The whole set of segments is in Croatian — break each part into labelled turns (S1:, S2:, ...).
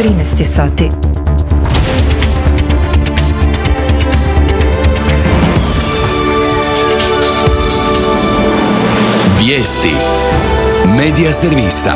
S1: 13 je sati.
S2: Vijesti Medija servisa.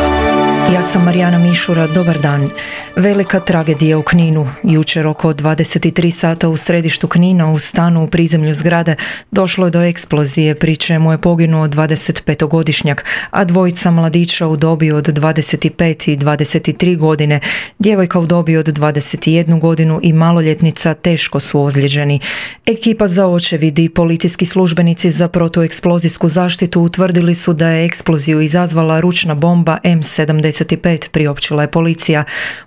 S1: Ja sam Marijana Mišura, dobar dan. Velika tragedija u Kninu. Jučer oko 23 sata u središtu Knina u stanu u prizemlju zgrade došlo je do eksplozije, pri čemu je poginuo 25-godišnjak, a dvojica mladića u dobi od 25 i 23 godine, djevojka u dobi od 21 godinu i maloljetnica teško su ozlijeđeni. Ekipa za očevid i policijski službenici za protueksplozijsku zaštitu utvrdili su da je eksploziju izazvala ručna bomba M75, priopćila je policija.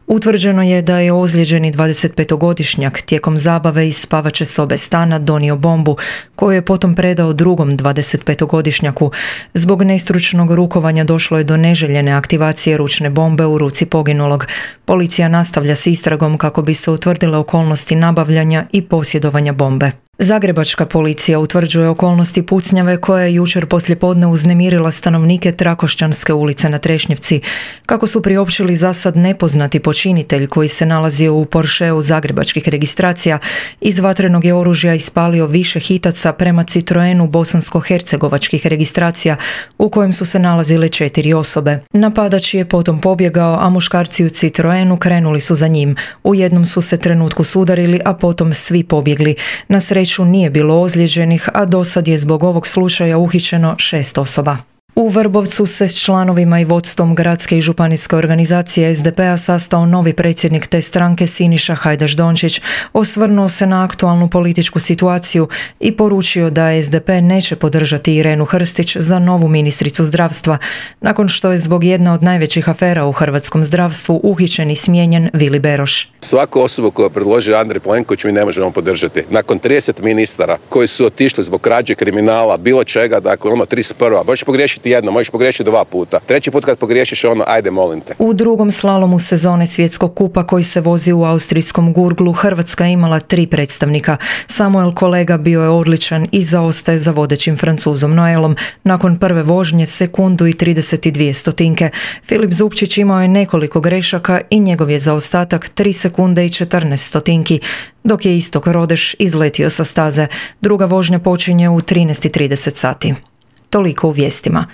S1: Utvrđeno je da je ozlijeđeni 25-godišnjak tijekom zabave iz spavače sobe stana donio bombu, koju je potom predao drugom 25-godišnjaku. Zbog nestručnog rukovanja došlo je do neželjene aktivacije ručne bombe u ruci poginulog. Policija nastavlja s istragom kako bi se utvrdile okolnosti nabavljanja i posjedovanja bombe. Zagrebačka policija utvrđuje okolnosti pucnjave koja je jučer poslijepodne uznemirila stanovnike Trakošćanske ulice na Trešnjevci. Kako su priopćili zasad nepoznati počinitelj koji se nalazio u Porscheu zagrebačkih registracija, iz vatrenog je oružja ispalio više hitaca prema Citroenu bosansko-hercegovačkih registracija u kojem su se nalazile 4 osobe. Napadač je potom pobjegao, a muškarci u Citroenu krenuli su za njim. U jednom su se trenutku sudarili, a potom svi pobjegli. Na sreću nije bilo ozlijeđenih, a dosad je zbog ovog slučaja uhićeno 6 osoba. U Vrbovcu se s članovima i vodstvom gradske i županijske organizacije SDP-a sastao novi predsjednik te stranke Siniša Hajdaš Dončić, osvrnuo se na aktualnu političku situaciju i poručio da SDP neće podržati Irenu Hrstić za novu ministricu zdravstva, nakon što je zbog jedne od najvećih afera u hrvatskom zdravstvu uhićen i smijenjen Vili Beroš.
S3: Svaku osobu koju je predložio Andrej Plenković mi ne možemo podržati. Nakon 30 ministara koji su otišli zbog krađe, kriminala, bilo čega, dakle 31. Možeš pogriješiti jedno, možeš pogriješiti 2 puta. 3. put kad pogriješiš ajde molim te.
S1: U drugom slalomu sezone svjetskog kupa koji se vozi u austrijskom Gurglu, Hrvatska je imala 3 predstavnika. Samuel Kolega bio je odličan i zaostaje za vodećim Francuzom Noelom. Nakon prve vožnje sekundu i 32 stotinke. Filip Zupčić imao je nekoliko grešaka i njegov je zaostatak 3 sekunde i 14 stotinki, dok je Istok Rodeš izletio sa staze. Druga vožnja počinje u 13:30 sati. Toliko u vijestima.